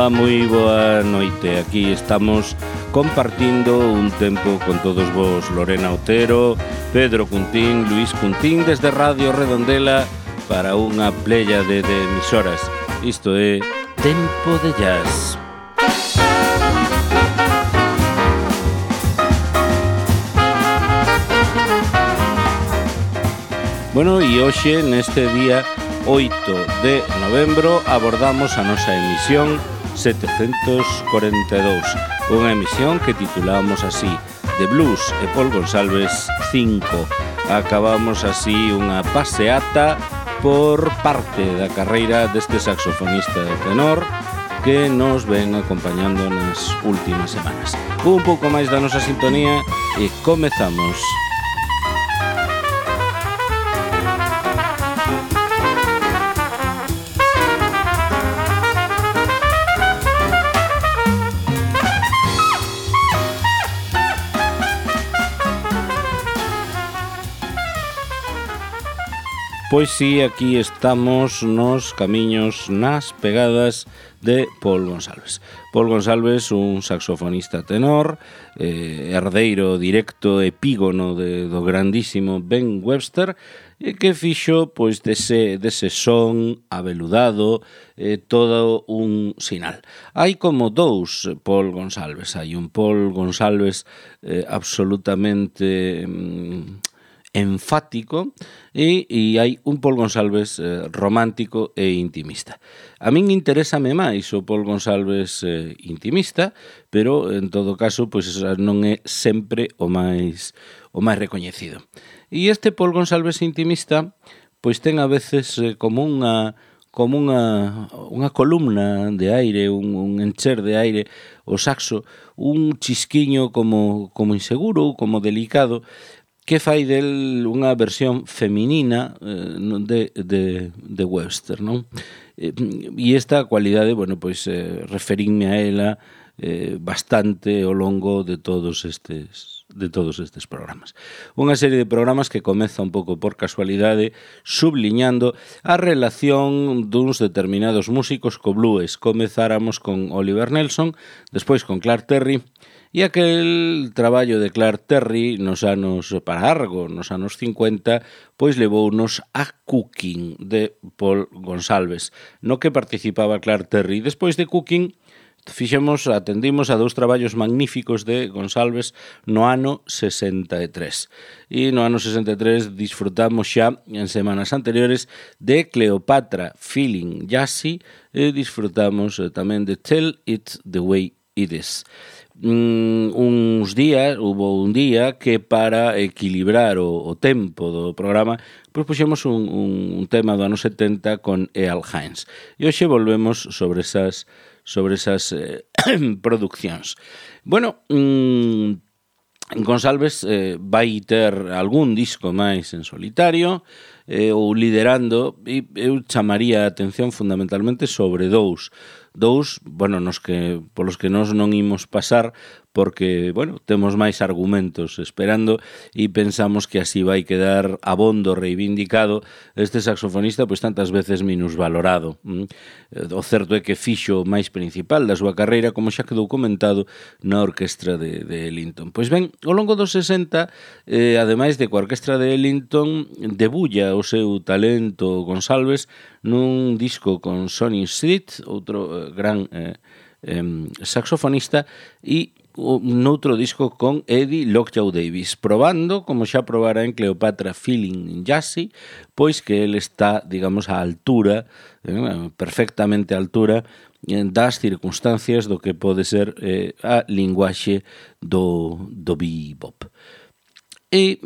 Ola, moi boa noite. Aquí estamos compartindo un tempo con todos vos, Lorena Otero, Pedro Cuntín, Luís Cuntín, desde Radio Redondela para unha playa de emisoras. Isto é Tempo de Jazz. Bueno, e hoxe, neste día 8 de novembro, abordamos a nosa emisión 742, unha emisión que titulamos así, The Blues e Paul Gonsalves 5. Acabamos así unha paseata por parte da carreira deste saxofonista de tenor que nos ven acompañando nas últimas semanas. Un pouco máis da nosa sintonía e comezamos. Pois sí, aquí estamos nos camiños, nas pegadas de Paul Gonsalves. Paul Gonsalves, un saxofonista tenor, herdeiro directo epígono do grandísimo Ben Webster, que fixo pois dese son aveludado todo un sinal. Hai como dous Paul Gonsalves. Hai un Paul Gonsalves absolutamente enfático e hai un Paul Gonsalves romántico e intimista. A min interésame máis o Paul Gonsalves intimista, pero en todo caso pois non é sempre o máis recoñecido. E este Paul Gonsalves intimista pois ten a veces como unha columna de aire, un encher de aire, o saxo, un chisquiño como inseguro, como delicado, que fai del unha versión feminina de Webster, non? E esta cualidade, bueno, pois referínme a ela bastante ao longo de todos estes programas. Unha serie de programas que comeza un pouco por casualidade subliñando a relación duns determinados músicos co blues. Comezáramos con Oliver Nelson, despois con Clark Terry, e aquel traballo de Clark Terry nos anos 50, pois levounos a Cooking de Paul Gonsalves, no que participaba Clark Terry. Despois de Cooking, atendimos a dous traballos magníficos de Gonsalves no ano 63. E no ano 63 disfrutamos xa en semanas anteriores de Cleopatra Feeling Jazzy e disfrutamos tamén de Tell It The Way It Is. Hubo un día que para equilibrar o tempo do programa pois puxemos un tema do ano 70 con Earl Hines e hoxe volvemos sobre esas produccións. Bueno, Gonsalves vai ter algún disco máis en solitario ou liderando, e eu chamaría a atención fundamentalmente sobre dous, bueno, polos que nós non imos pasar porque, bueno, temos máis argumentos esperando e pensamos que así vai quedar abondo reivindicado este saxofonista pois tantas veces minusvalorado. O certo é que fixo o máis principal da súa carreira, como xa quedou comentado na orquestra de Ellington. Pois ben, ao longo dos 60, ademais de coa orquestra de Ellington, debulla o seu talento Gonsalves nun disco con Sonny Street, outro gran saxofonista, e noutro disco con Eddie Lockjaw Davis, probando, como xa probara en Cleopatra Feeling Jazzy, pois que ele está, digamos, á altura, perfectamente á altura das circunstancias do que pode ser a linguaxe do bebop. E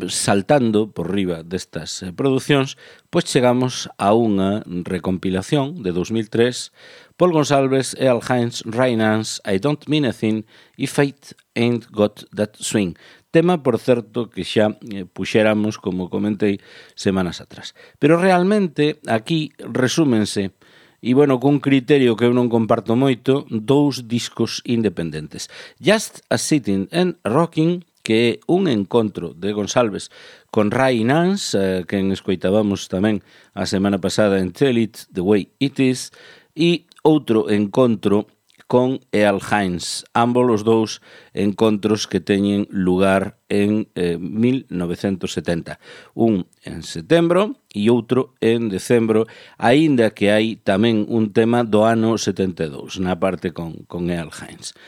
saltando por riba destas producións, pois chegamos a unha recompilación de 2003, Paul Gonsalves, Earl Hines, Ray Nance, I Don't Mean a Thing e Fate Ain't Got That Swing. Tema, por certo, que xa puxéramos, como comentei, semanas atrás. Pero realmente aquí resúmense, e bueno, cun criterio que eu non comparto moito, dous discos independentes. Just a Sitting and Rocking, que é un encontro de Gonsalves con Ray Nance, quen escoitábamos tamén a semana pasada en Tell It The Way It Is, e outro encontro con Earl Hines, ambos os dous encontros que teñen lugar en 1970. Un en setembro e outro en decembro, aínda que hai tamén un tema do ano 72, na parte con Earl Hines.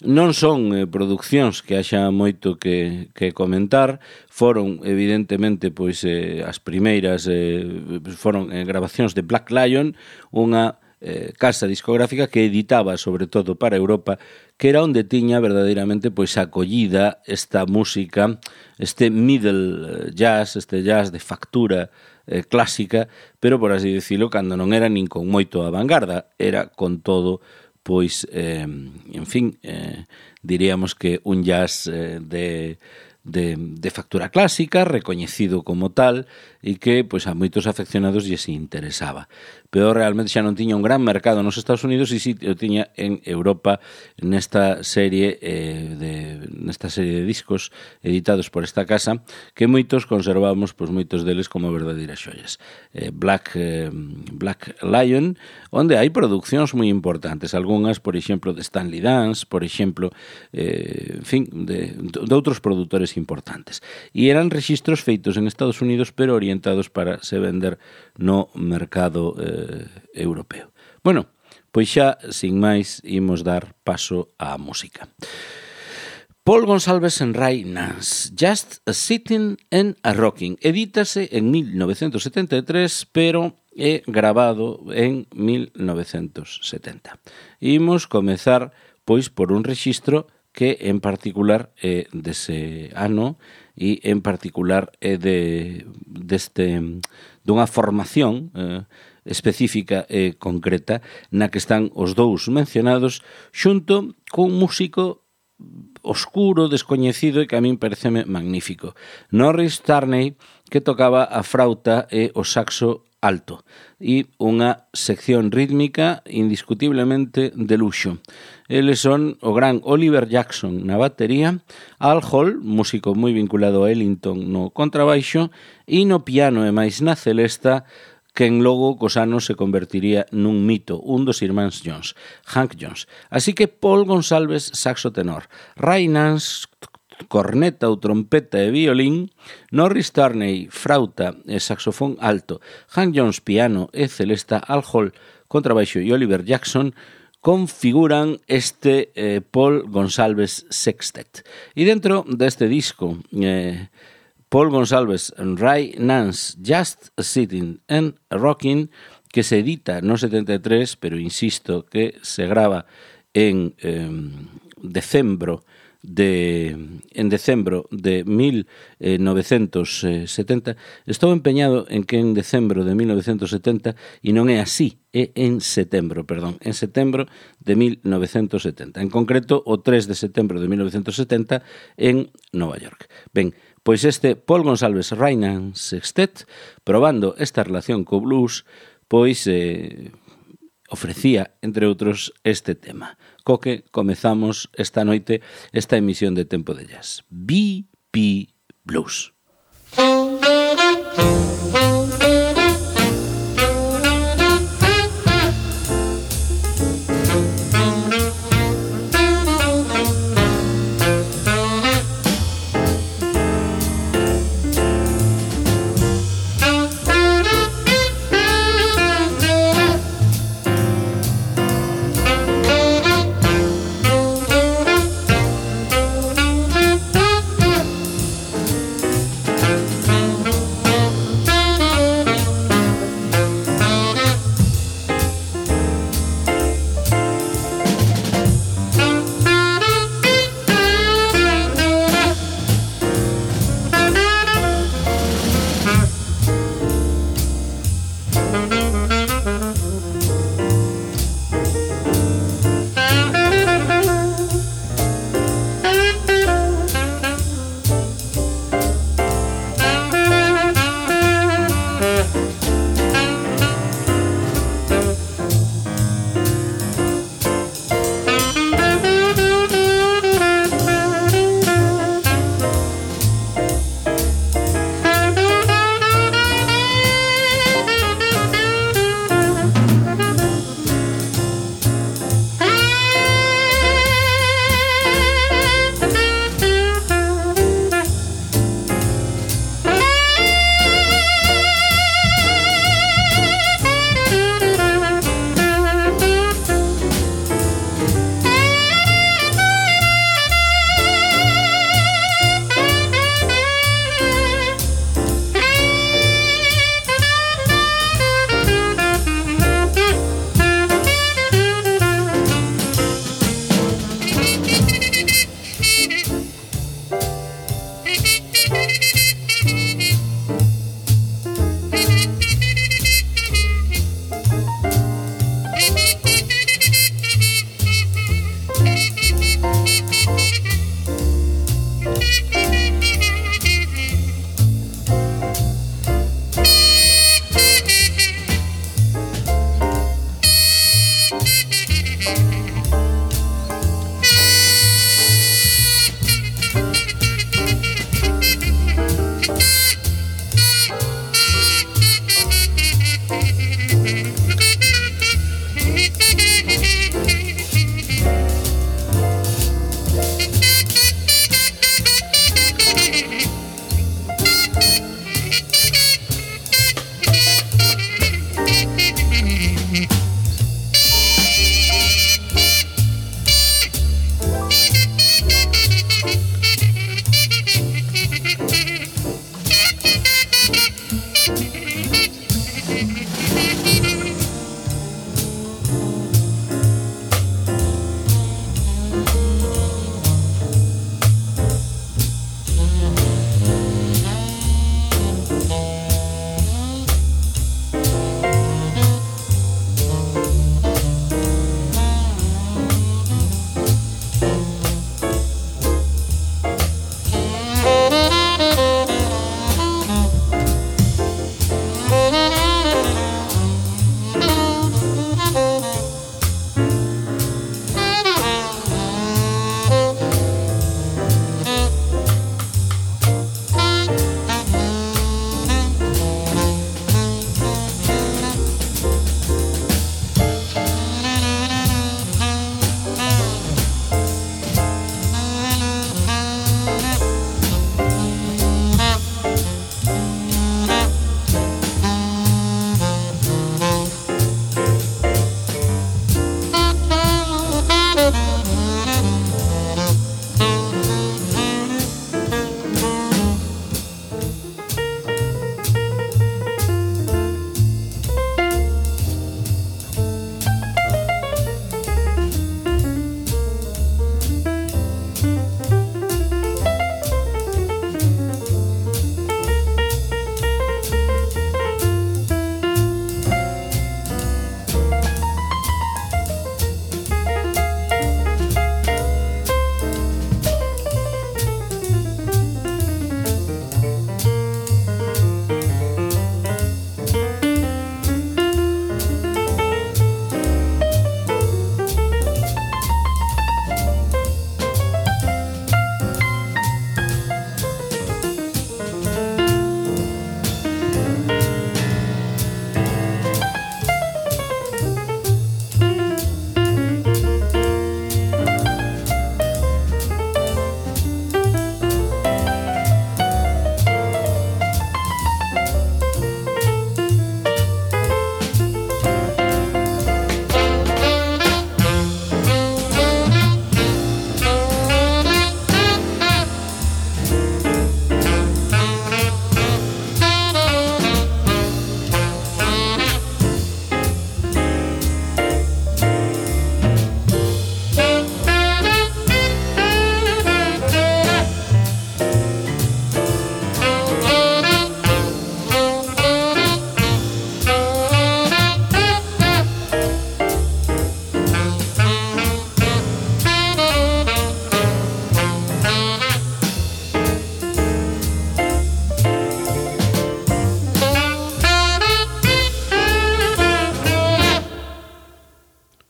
Non son produccións que haxa moito que comentar, foron evidentemente pois as primeiras foron grabacións de Black Lion, unha casa discográfica que editaba sobre todo para Europa, que era onde tiña verdadeiramente pois acollida esta música, este middle jazz, este jazz de factura clásica, pero por así dicilo, cando non era nin con moito a vanguarda, era con todo pois, en fin, diríamos que un jazz de factura clásica, recoñecido como tal, e que pois a moitos afeccionados lles interesaba. Pero realmente xa non tiña un gran mercado nos Estados Unidos e si o tiña en Europa nesta serie de discos editados por esta casa que moitos conservamos, pois moitos deles como verdadeiras xoias. Black Lion, onde hai produccións moi importantes, algunhas, por exemplo, de Stanley Dance, por exemplo, en fin, de outros produtores importantes. E eran rexistros feitos en Estados Unidos, pero orientados para se vender no mercado europeo. Bueno, pois xa, sin máis, imos dar paso á música. Paul Gonsalves and Ray Nance, Just a Sitting and a Rocking, edítase en 1973, pero é grabado en 1970. Imos comezar, pois, por un rexistro que en particular é dese ano e en particular é dunha formación específica e concreta na que están os dous mencionados xunto cun músico oscuro, descoñecido e que a min pareceme magnífico, Norris Tarney, que tocaba a frauta e o saxo alto e unha sección rítmica indiscutiblemente de luxo. Eles son o gran Oliver Jackson na batería, Al Hall, músico moi vinculado a Ellington no contrabaixo, e no piano e máis na celesta, quen logo cos anos se convertiría nun mito, un dos irmáns Jones, Hank Jones. Así que Paul Gonsalves, saxo tenor, Ray Nance, corneta ou trompeta e violín, Norris Tarney, frauta e saxofón alto, Hank Jones, piano e celesta, Al Hall, contrabaixo e Oliver Jackson configuran este Paul Gonsalves Sextet. E dentro deste disco, Paul Gonsalves and Ray Nance, Just a Sitting and a Rocking, que se edita no 73, pero insisto que se grava en decembro de 1970. Estou empeñado en que en decembro de 1970 e non é así, é en setembro de 1970. En concreto, o 3 de setembro de 1970 en Nova York. Ben, pois este Paul Gonsalves Ray Nance Sextet, probando esta relación co blues, pois ofrecía, entre outros, este tema, co que comezamos esta noite esta emisión de Tempo de Jazz. BP Blues.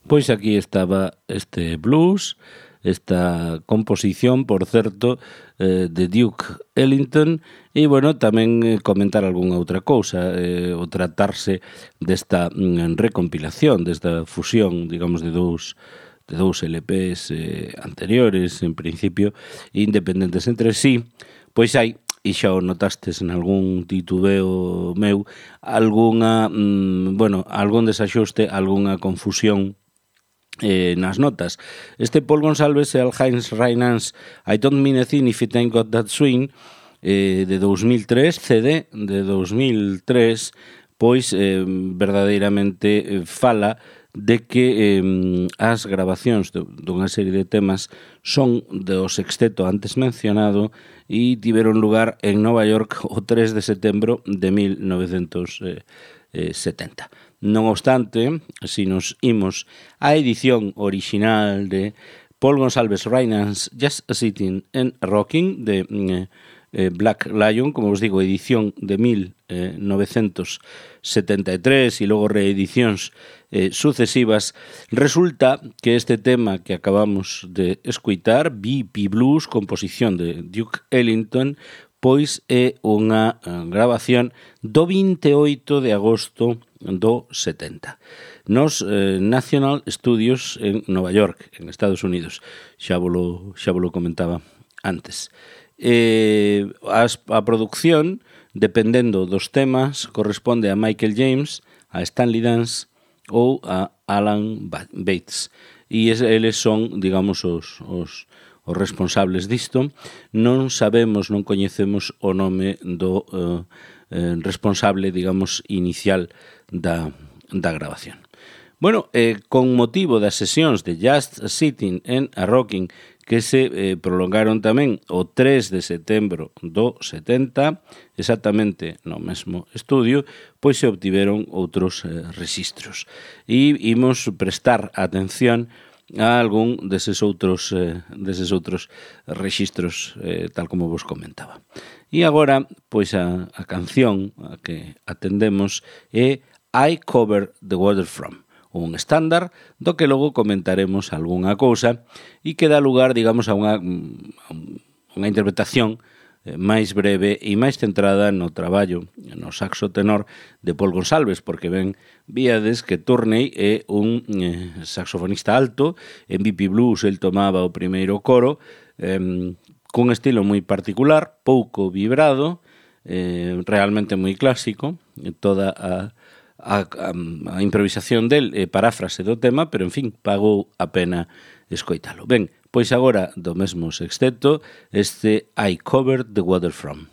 Pois aquí estaba este blues, esta composición, por certo, de Duke Ellington, e, bueno, tamén comentar algunha outra cousa, o tratarse desta recompilación, desta fusión, digamos, de dous LPs anteriores, en principio, independentes entre sí, pois hai, e xa o notastes en algún titubeo meu, algunha, algún desaxuste, algunha confusión nas notas. Este Paul Gonsalves e el Heinz Reinhans I Don't Mean a Thing If It Ain't Got That Swing, de 2003, CD de 2003, pois verdadeiramente fala de que as grabacións dunha serie de temas son do sexteto antes mencionado e tiveron lugar en Nova York o 3 de setembro de 1970. Non obstante, si nos imos á edición original de Paul Gonsalves Reinhans Just Sitting and Rocking de Black Lion, como os digo, edición de 1973 e logo reedicións sucesivas, resulta que este tema que acabamos de escuitar, BP Blues, composición de Duke Ellington, pois é unha grabación do 28 de agosto do 70 nos National Studios en Nova York, en Estados Unidos. Xa volo comentaba antes. A produción, dependendo dos temas, corresponde a Michael James, a Stanley Dance ou a Alan Bates. E eles son, digamos, os responsables disto. Non sabemos, non coñecemos o nome do responsable, digamos, inicial da grabación. Bueno, con motivo das sesións de Just Sitting and a Rocking que se prolongaron tamén o 3 de setembro do 70, exactamente no mesmo estudio, pois se obtiveron outros rexistros. E imos prestar atención a algún deses outros rexistros, tal como vos comentaba. E agora, pois a canción a que atendemos é I Cover the Water From, un estándar do que logo comentaremos algunha cousa e que dá lugar, digamos, a unha interpretación máis breve e máis centrada no traballo, no saxo tenor de Paul Gonsalves, porque víades que Turney é un saxofonista alto, en BP Blues el tomaba o primeiro coro, cun estilo moi particular, pouco vibrado, realmente moi clásico, toda a improvisación del paráfrase do tema, pero, en fin, pagou a pena escoitalo. Ben, pois agora, do mesmo sexteto, este I Covered the Water From.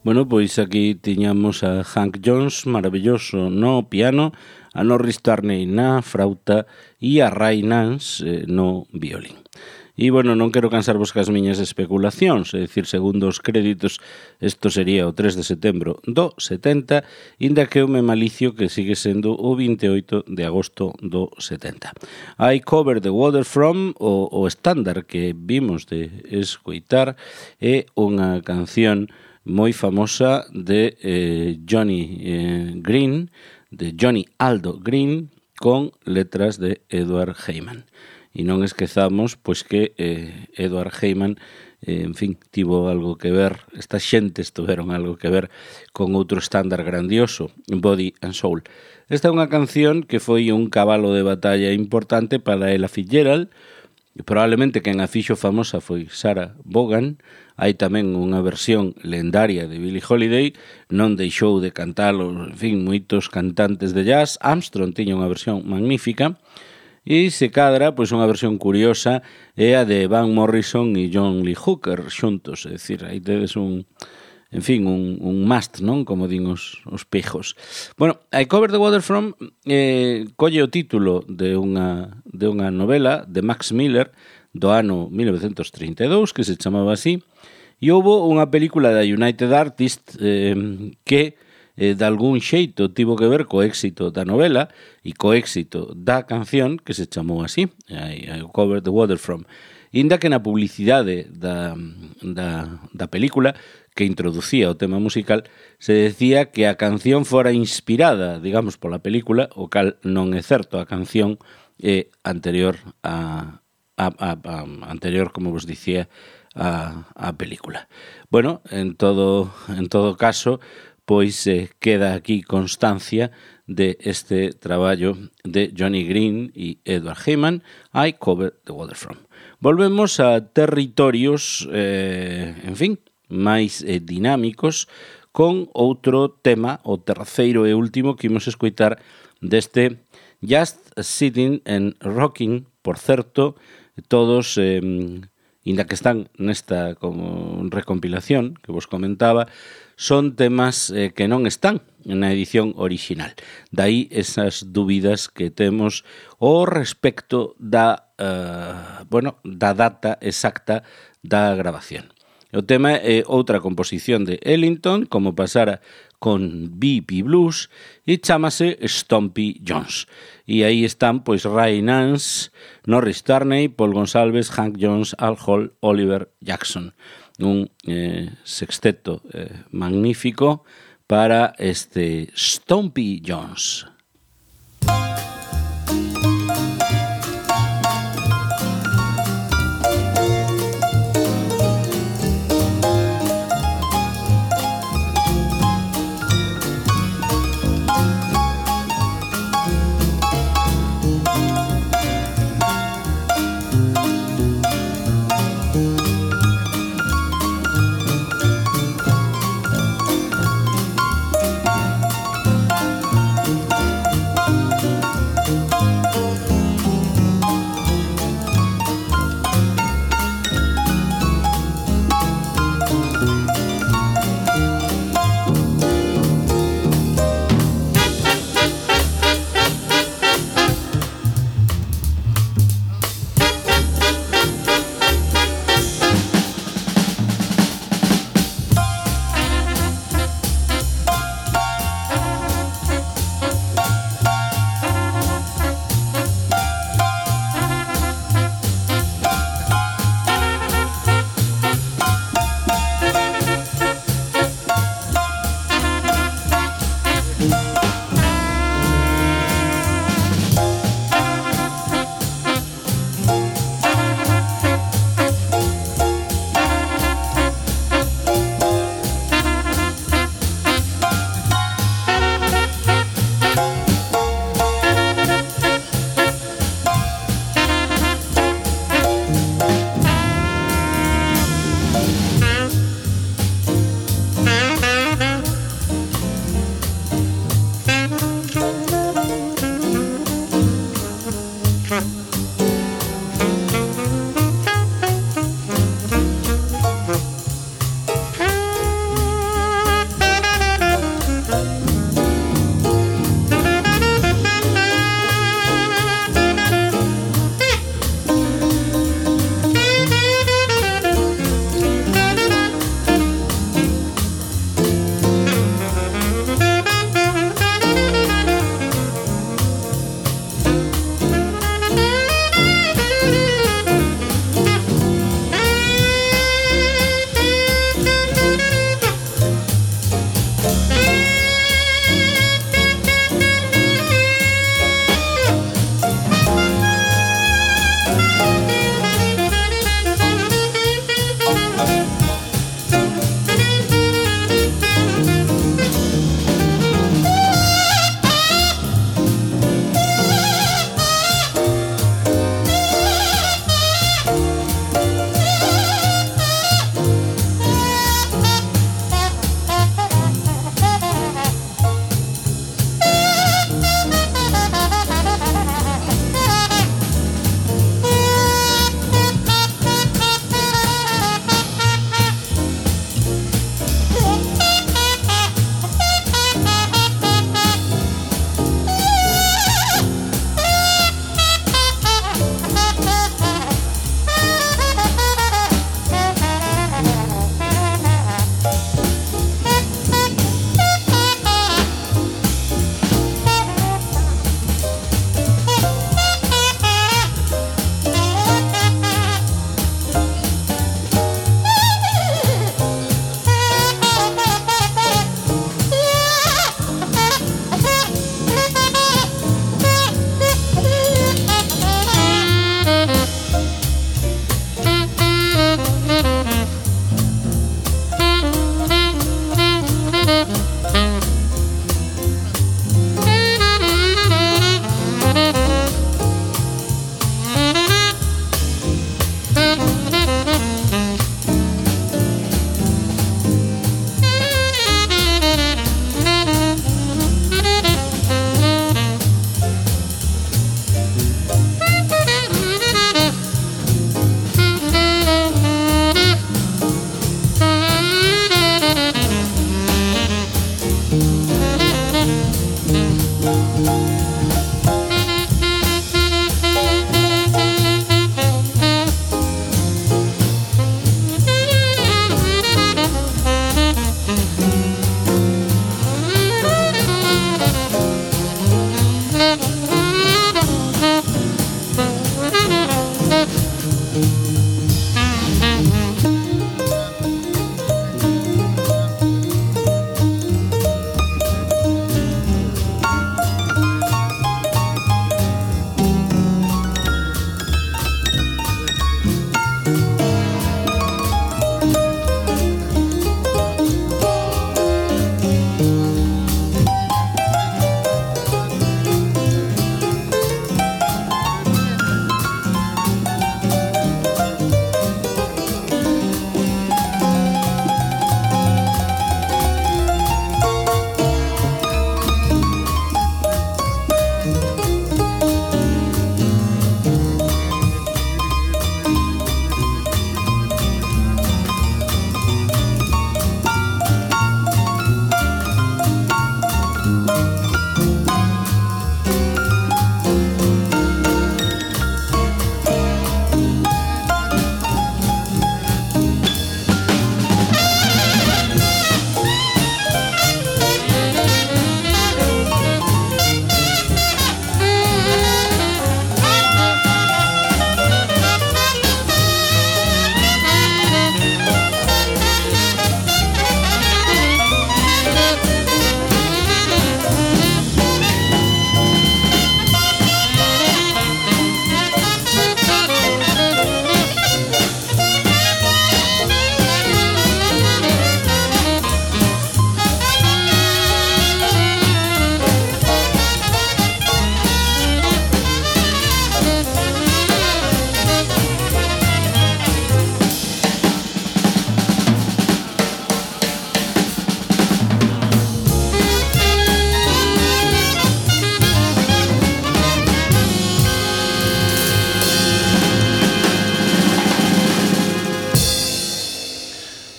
Bueno, pois aquí tiñamos a Hank Jones, maravilloso no piano, a Norris Tarney na frauta e a Ray Nance no violín. E, bueno, non quero cansarvos cas miñas especulacións, é dicir, segundo os créditos, isto sería o 3 de setembro do 70, inda que eu me malicio que sigue sendo o 28 de agosto do 70. I Cover the Water From, o estándar que vimos de escoitar, é unha canción moi famosa de Johnny Green, de Johnny Aldo Green, con letras de Edward Heyman. E non esquezamos pois que Edward Heyman, en fin, tivo algo que ver, estas xentes tuveron algo que ver con outro estándar grandioso, Body and Soul. Esta é unha canción que foi un cabalo de batalla importante para Ella Fitzgerald, e probablemente quen a fixo famosa foi Sarah Vaughan. Hai tamén unha versión lendaria de Billie Holiday, non deixou de cantalo, en fin, moitos cantantes de jazz. Armstrong tiña unha versión magnífica, e se cadra, pois unha versión curiosa é a de Van Morrison e John Lee Hooker xuntos, é dicir, aí tedes un must, non? Como din os pejos. Bueno, I Cover the Water From colle o título de unha novela de Max Miller do ano 1932 que se chamaba así, e houbo unha película da United Artists que de algún xeito tivo que ver co éxito da novela e co éxito da canción que se chamou así, I Cover the Water From. Inda que na publicidade da película que introducía o tema musical se decía que a canción fora inspirada, digamos, pola película, o cal non é certo, a canción é anterior anterior, como vos dicía, a película. Bueno, en todo caso, pois queda aquí constancia de este traballo de Johnny Green e Edward Heyman, I Cover the Water From. Volvemos a territorios, en fin, máis dinámicos, con outro tema, o terceiro e último que imos escoitar deste Just Sitting and Rocking. Por certo, todos, inda que están nesta como recompilación que vos comentaba, son temas que non están na edición original. Daí esas dúbidas que temos ao respecto da data exacta da grabación. O tema é outra composición de Ellington, como pasara con B.B. Blues, e chámase Stompy Jones. E aí están, pois, Ray Nance, Norris Tarney, Paul Gonsalves, Hank Jones, Al Hall, Oliver Jackson. Un sexteto magnífico para este Stompy Jones.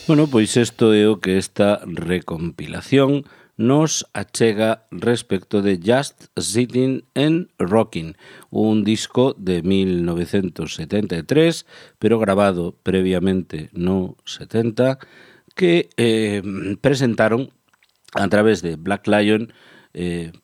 Bueno, pois isto é o que esta recompilación nos achega respecto de Just Sitting and Rocking, un disco de 1973, pero grabado previamente no 70, que presentaron a través de Black Lion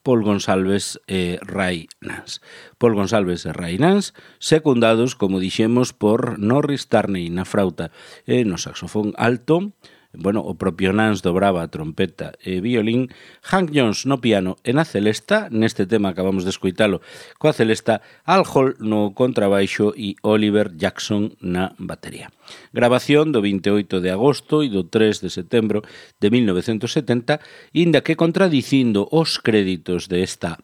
Paul Gonsalves e Ray Nance. Paul Gonsalves e Ray Nance, secundados, como dixemos, por Norris Tarney na frauta e no saxofón alto, bueno, o propio Nance dobraba a trompeta e violín, Hank Jones no piano e na celesta, neste tema acabamos de escoitalo coa celesta, Al Hall no contrabaixo e Oliver Jackson na batería. Grabación do 28 de agosto e do 3 de setembro de 1970, inda que contradicindo os créditos desta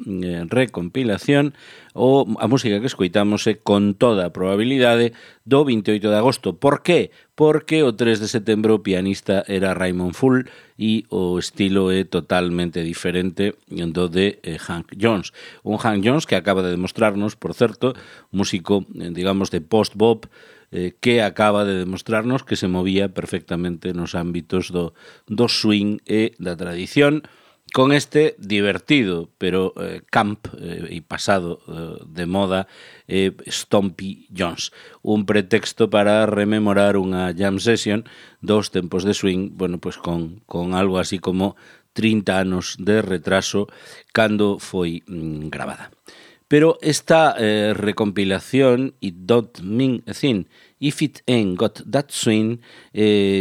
recompilación, a música que escoitamos é con toda a probabilidade do 28 de agosto. Por qué? Porque o 3 de setembro o pianista era Raymond Full e o estilo é totalmente diferente do de Hank Jones. Un Hank Jones que acaba de demostrarnos, por certo, músico, digamos, de post-bop, que acaba de demostrarnos que se movía perfectamente nos ámbitos do swing e da tradición, con este divertido, pero camp e pasado de moda, Stompy Jones. Un pretexto para rememorar unha jam session dos tempos de swing, bueno, pues con algo así como 30 anos de retraso cando foi grabada. Pero esta recompilación, It Don't Mean a Thing If It Ain't Got That Swing,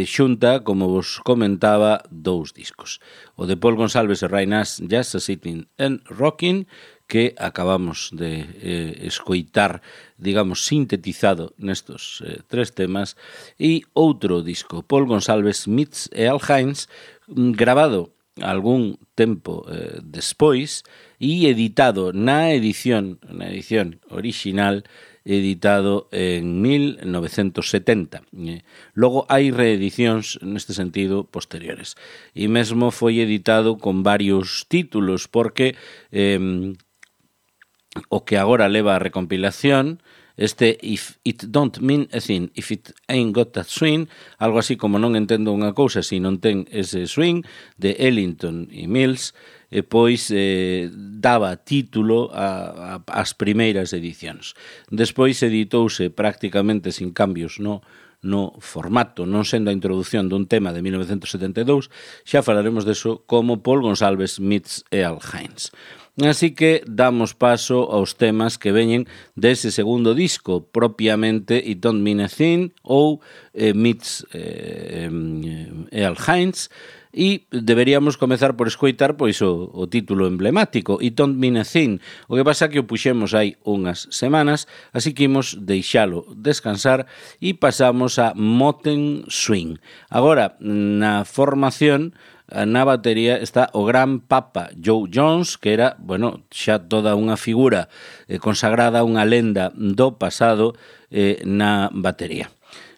xunta, como vos comentaba, dous discos. O de Paul Gonsalves e Ray Nance, Just Sitting and Rocking, que acabamos de escoitar, digamos, sintetizado nestos tres temas, e outro disco, Paul Gonsalves meets Al Hines, grabado algún tempo despois e editado na edición original, editado en 1970. Logo hai reedicións neste sentido posteriores. E mesmo foi editado con varios títulos, porque o que agora leva a recompilación, este If It Don't Mean a Thing, If It Ain't Got That Swing, algo así como non entendo unha cousa se non ten ese swing, de Ellington e Mills, pois daba título ás primeiras edicións. Despois editouse prácticamente sin cambios no formato, non sendo a introdución dun tema de 1972, xa falaremos deso, como Paul Gonsalves meets Al Hines. Así que damos paso aos temas que veñen dese segundo disco, propiamente It Don't Mean a Thing ou Meets Al Hines, e deberíamos comezar por escoitar pois o título emblemático, It Don't Mean a Thing. O que pasa que o puxemos hai unhas semanas, así que imos deixalo descansar e pasamos a Moten Swing. Agora, na formación, na batería está o gran Papa Joe Jones, que era, bueno, xa toda unha figura consagrada, unha lenda do pasado na batería.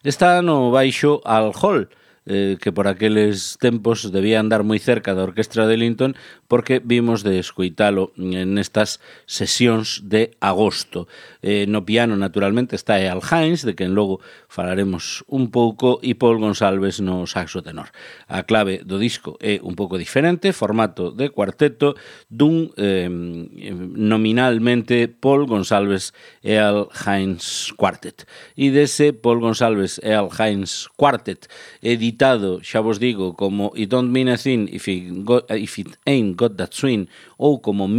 Está no baixo Al Hall, que por aqueles tempos debía andar moi cerca da orquestra de Ellington, porque vimos de escoitalo nestas sesións de agosto. No piano, naturalmente, está Al Hines, de quen logo falaremos un pouco, e Paul Gonsalves no saxo tenor. A clave do disco é un pouco diferente, formato de cuarteto, dun nominalmente Paul Gonsalves e Al Hines Quartet. E dese Paul Gonsalves e Al Hines Quartet, editado, xa vos digo, como It Don't Mean a Thing If It Ain't Got That Swing, ou como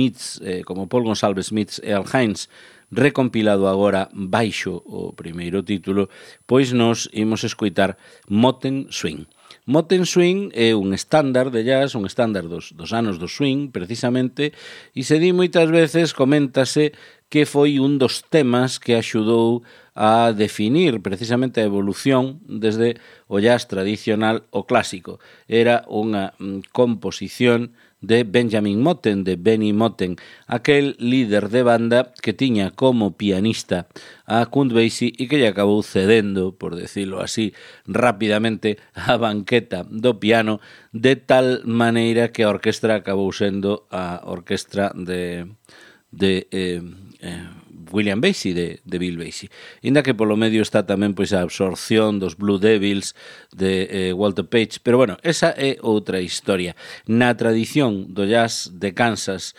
Paul Gonsalves meets Al Hines, recompilado agora baixo o primeiro título, pois nos imos escoitar Moten Swing. Moten Swing é un estándar de jazz, un estándar dos anos do swing, precisamente, e se di moitas veces, coméntase que foi un dos temas que axudou a definir precisamente a evolución desde o jazz tradicional ao clásico. Era unha composición de Benjamin Moten, de Benny Moten, aquel líder de banda que tiña como pianista a Count Basie e que lle acabou cedendo, por decirlo así, rápidamente a banqueta do piano, de tal maneira que a orquestra acabou sendo a orquestra de William Basie, de Bill Basie. Inda que polo medio está tamén pois a absorción dos Blue Devils de Walter Page, pero bueno, esa é outra historia. Na tradición do jazz de Kansas,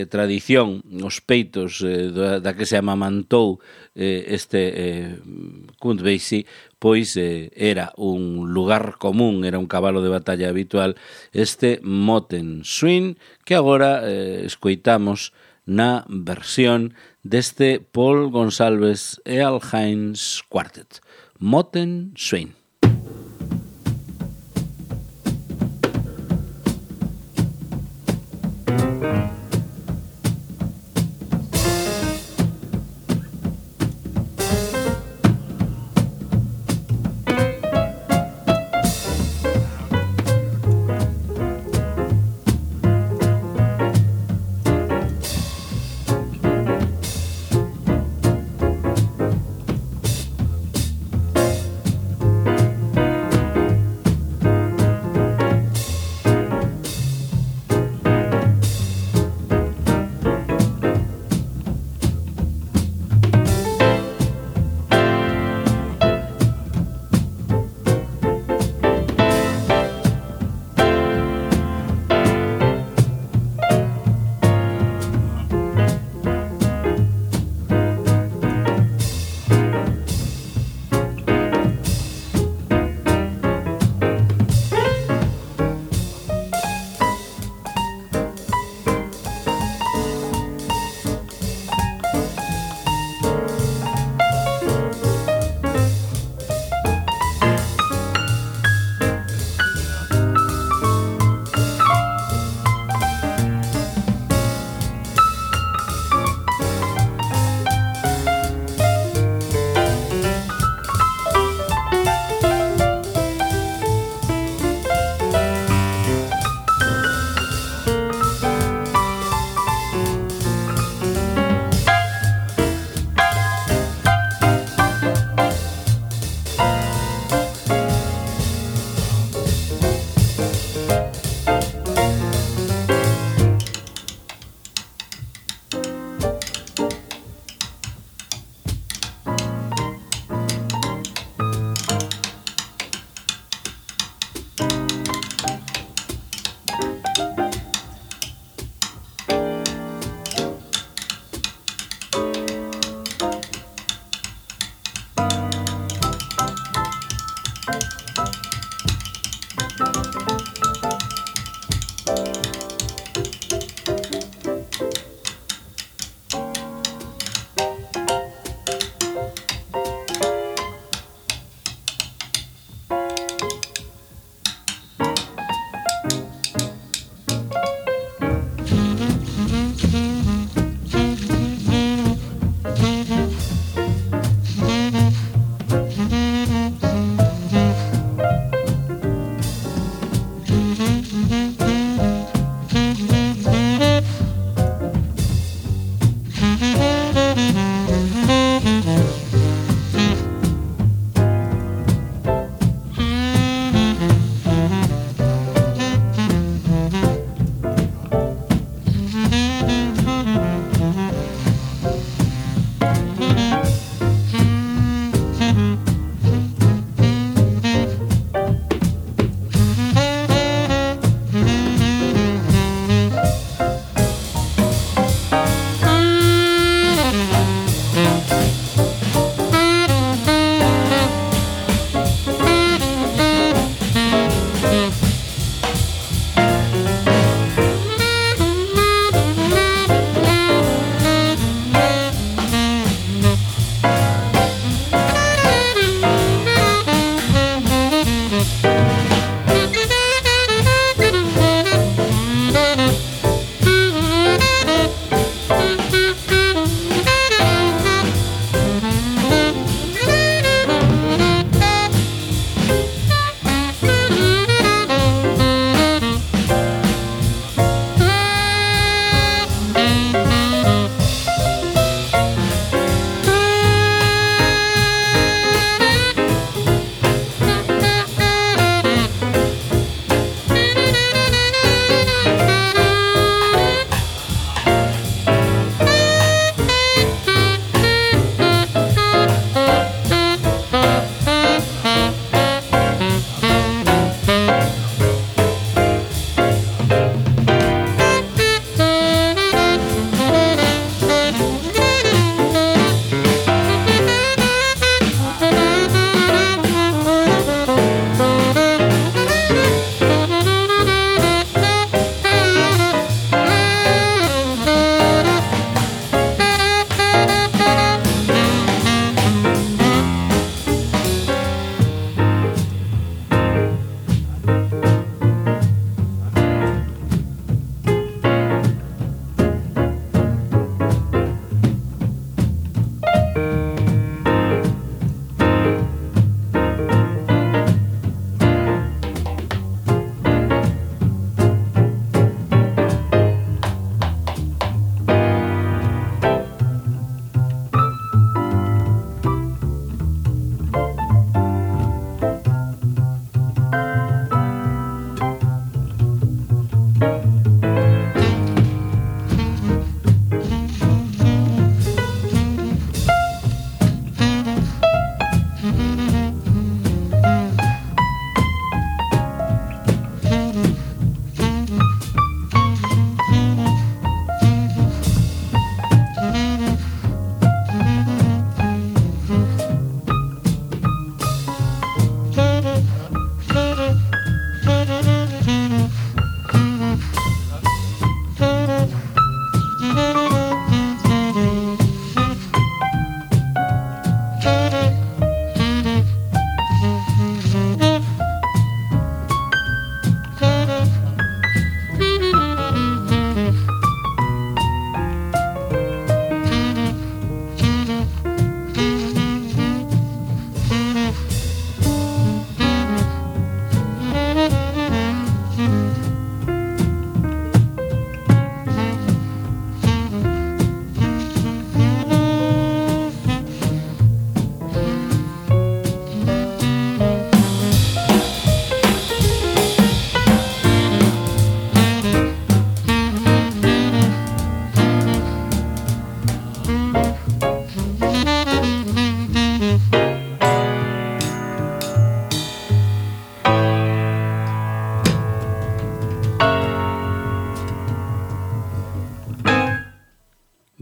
tradición, os peitos da que se amamantou Count Basie, pois era un lugar común, era un cabalo de batalla habitual, este Moten Swing, que agora escoitamos na versión deste Paul Gonsalves e Al Hines Quartet. Moten Swing.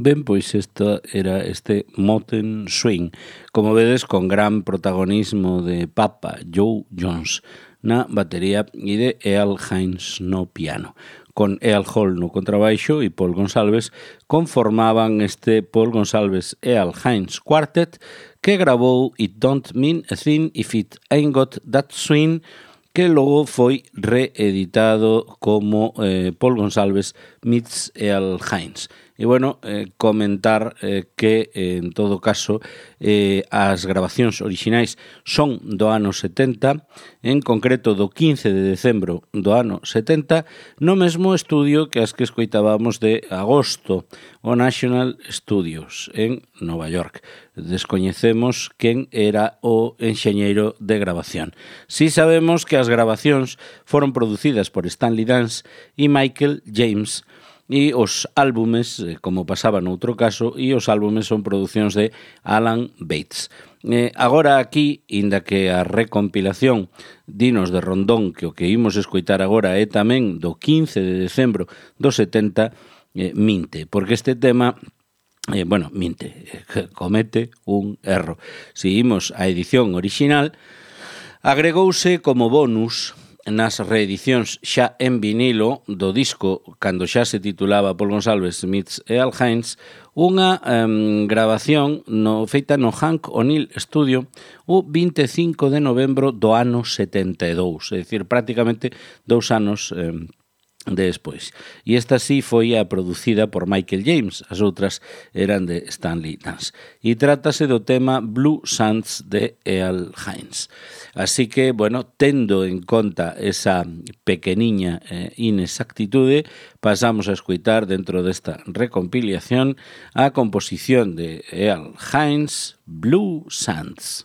Ben, pois isto era este Mountain Swing, como vedes, con gran protagonismo de Papa Joe Jones na batería e de Earl Hines no piano. Con Earl Hall no contrabaixo e Paul Gonsalves conformaban este Paul Gonsalves Earl Hines Quartet que grabou It Don't Mean a Thing If It Ain't Got That Swing, que logo foi reeditado como Paul Gonsalves meets Earl Hines. E, bueno, comentar que, en todo caso, as grabacións orixinais son do ano 70, en concreto do 15 de decembro do ano 70, no mesmo estudio que as que escoitábamos de agosto, o National Studios, en Nova York. Descoñecemos quen era o enxeñeiro de grabación. Si sabemos que as grabacións foron producidas por Stanley Dance e Michael James, e os álbumes, como pasaba noutro caso, e os álbumes son producións de Alan Bates. Agora aquí, inda que a recompilación dinos de Rondón, que o que imos escoitar agora é tamén do 15 de decembro do 70, minte, porque este tema comete un erro. Si imos á edición orixinal, agregouse como bonus nas reedicións xa en vinilo do disco, cando xa se titulaba Paul Gonsalves meets Earl Hines, unha grabación feita no Hank O'Neill Studio o 25 de novembro do ano 72, é dicir, prácticamente 2 anos despois. E esta sí foi a producida por Michael James, as outras eran de Stanley Dance. E trátase do tema Blue Sands de Earl Hines. Así que, bueno, tendo en conta esa pequeniña inexactitude, pasamos a escoitar dentro desta recompiliación a composición de Earl Hines, Blue Sands.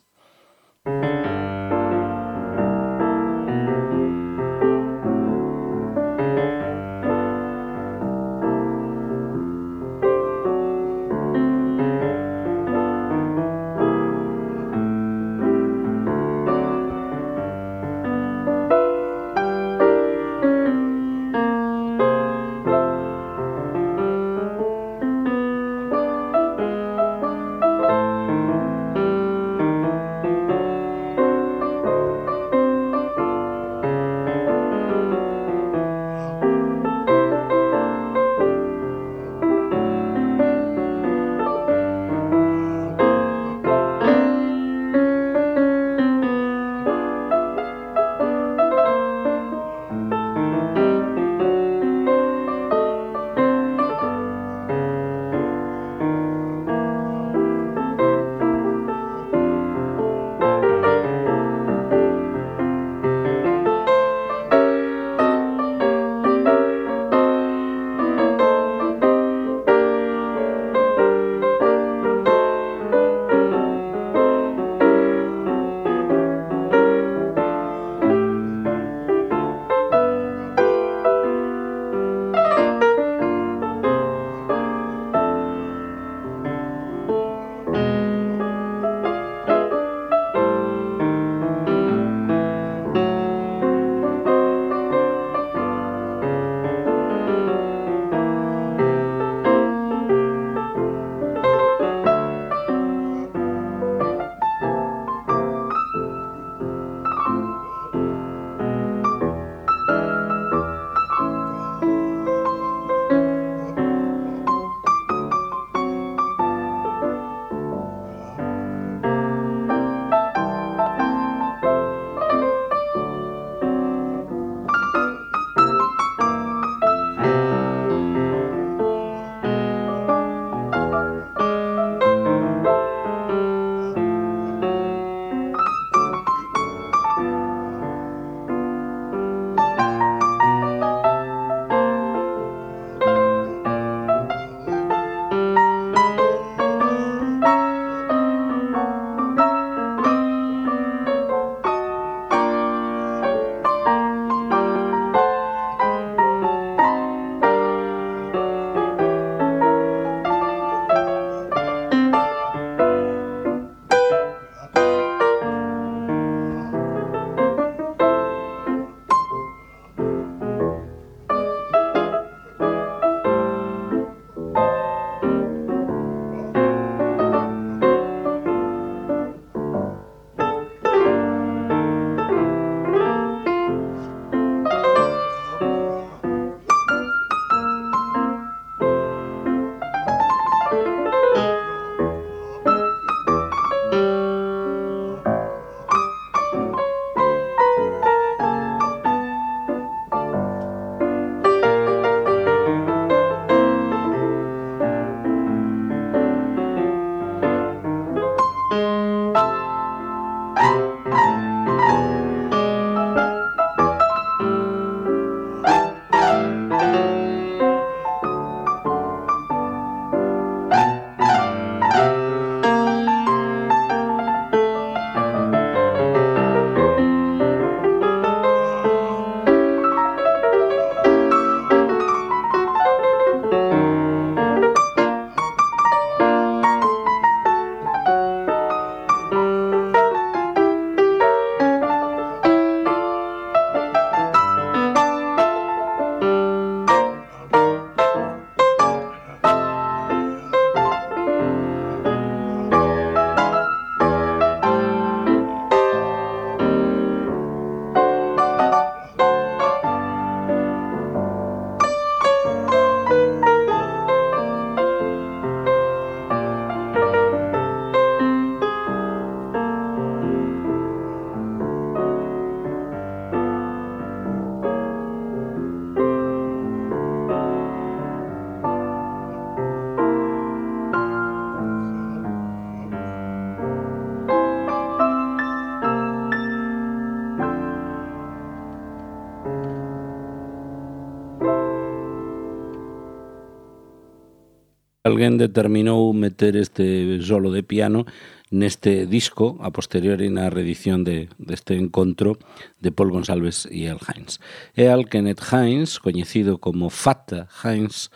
Alguén determinou meter este solo de piano neste disco, a posteriori na reedición deste encontro de Paul Gonsalves e Al Hines. E Al Kenneth Hines, coñecido como Fata Hines,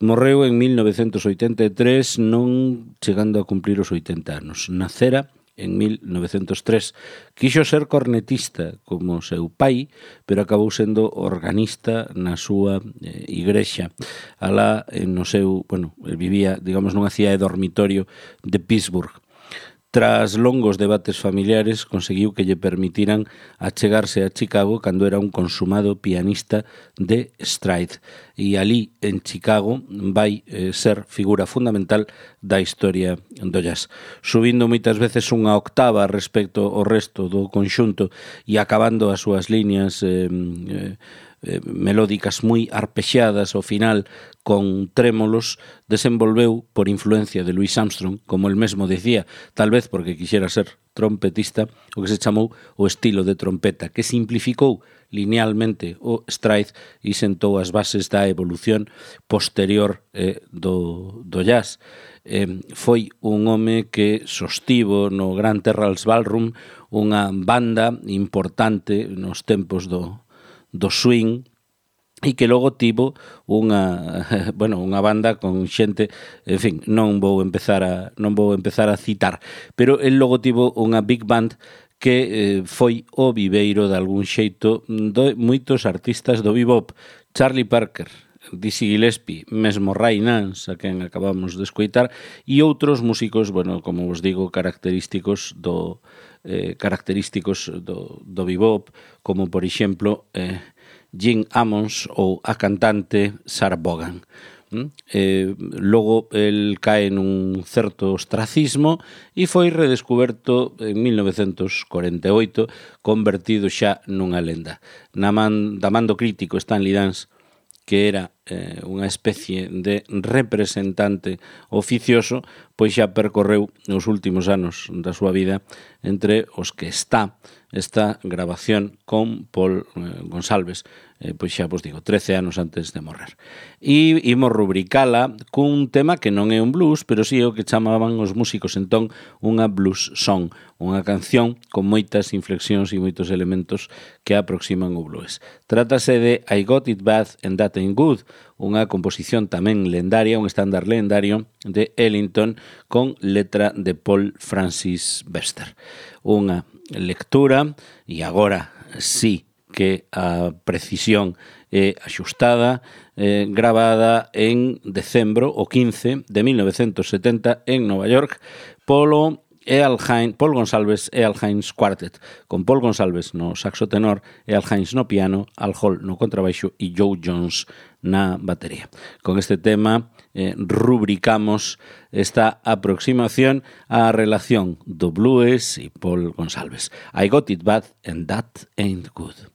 morreu en 1983, non chegando a cumplir os 80 anos. Nacera en 1903. Quixo ser cornetista como seu pai, pero acabou sendo organista na súa igrexa. Alá, no seu, el vivía, digamos, nunha cidade dormitorio de Pittsburgh. Tras longos debates familiares, conseguiu que lle permitiran achegarse a Chicago cando era un consumado pianista de Stride. E ali, en Chicago, vai ser figura fundamental da historia do jazz. Subindo moitas veces unha octava respecto ao resto do conxunto e acabando as súas líneas melódicas moi arpexadas ao final con trémolos, desenvolveu por influencia de Louis Armstrong, como el mesmo decía, tal vez porque quixera ser trompetista, o que se chamou o estilo de trompeta, que simplificou linealmente o stride e sentou as bases da evolución posterior do jazz. Foi un home que sostivo no Grand Terralls Ballroom unha banda importante nos tempos do swing e que logo tivo unha banda con xente, en fin, non vou empezar a citar, pero el logo tivo unha big band que foi o viveiro de algún xeito de moitos artistas do bebop. Charlie Parker, Dizzy Gillespie, mesmo Ray Nance, a quen acabamos de escoitar, e outros músicos, como vos digo, característicos do bebop, como por exemplo Gene Ammons ou a cantante Sarah Vaughan. Logo el cae nun certo ostracismo e foi redescuberto en 1948, convertido xa nunha lenda. Da man do crítico Stanley Dance, que era unha especie de representante oficioso, pois xa percorreu nos últimos anos da súa vida entre os que está esta grabación con Paul Gonsalves, pois xa vos digo, 13 anos antes de morrer. E imos rubricala cun tema que non é un blues, pero sí é o que chamaban os músicos entón unha blues song, unha canción con moitas inflexións e moitos elementos que aproximan o blues. Trátase de I Got It Bad and That Ain't Good, unha composición tamén lendaria, un estándar lendario de Ellington con letra de Paul Francis Webster. Unha lectura, e agora sí que a precisión é axustada, gravada en decembro, o 15 de 1970 en Nova York, Paul Gonsalves e Al Hines Quartet, con Paul Gonsalves no saxo tenor e Al Hines no piano, Al Hall no contrabaixo e Joe Jones na batería. Con este tema rubricamos esta aproximación á relación do blues e Paul Gonsalves. I Got It Bad and That Ain't Good.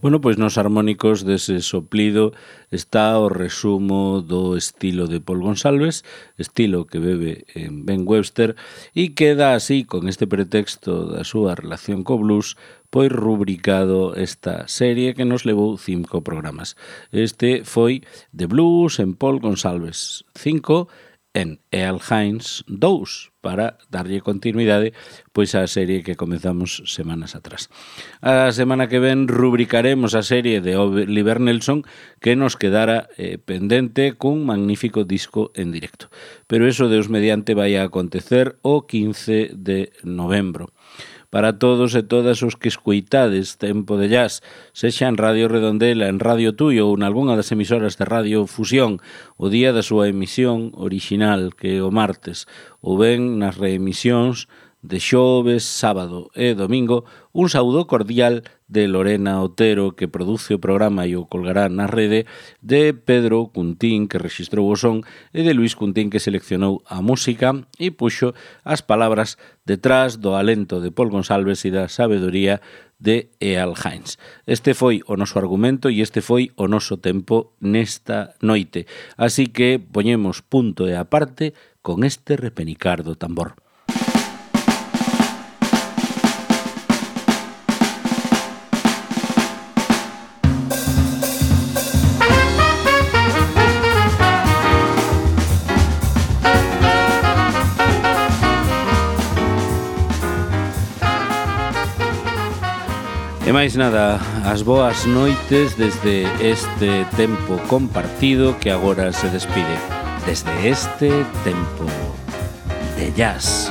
Bueno, pois nos harmónicos dese soplido está o resumo do estilo de Paul Gonsalves, estilo que bebe en Ben Webster, e queda así, con este pretexto da súa relación co blues, pois rubricado esta serie que nos levou 5 programas. Este foi The Blues en Paul Gonsalves 5, en Earl Hines 2, para darlle continuidade pois á serie que comezamos semanas atrás. A semana que ven rubricaremos a serie de Oliver Nelson que nos quedara pendente cun magnífico disco en directo. Pero eso, Deus mediante, vai a acontecer o 15 de novembro. Para todos e todas os que escuitades Tempo de Jazz, sexa en Radio Redondela, en Radio Tui ou en algunha das emisoras de Radio Fusión, o día da súa emisión original, que é o martes, ou ben nas reemisións de xoves, sábado e domingo, un saúdo cordial de Lorena Otero, que produce o programa e o colgará na rede, de Pedro Cuntín, que rexistrou o son, e de Luis Cuntín, que seleccionou a música e puxo as palabras detrás do alento de Paul Gonsalves e da sabedoría de Earl Hines. Este foi o noso argumento e este foi o noso tempo nesta noite. Así que poñemos punto e aparte con este repenicar do tambor. E máis nada, as boas noites desde este tempo compartido que agora se despide. Desde este tempo de jazz.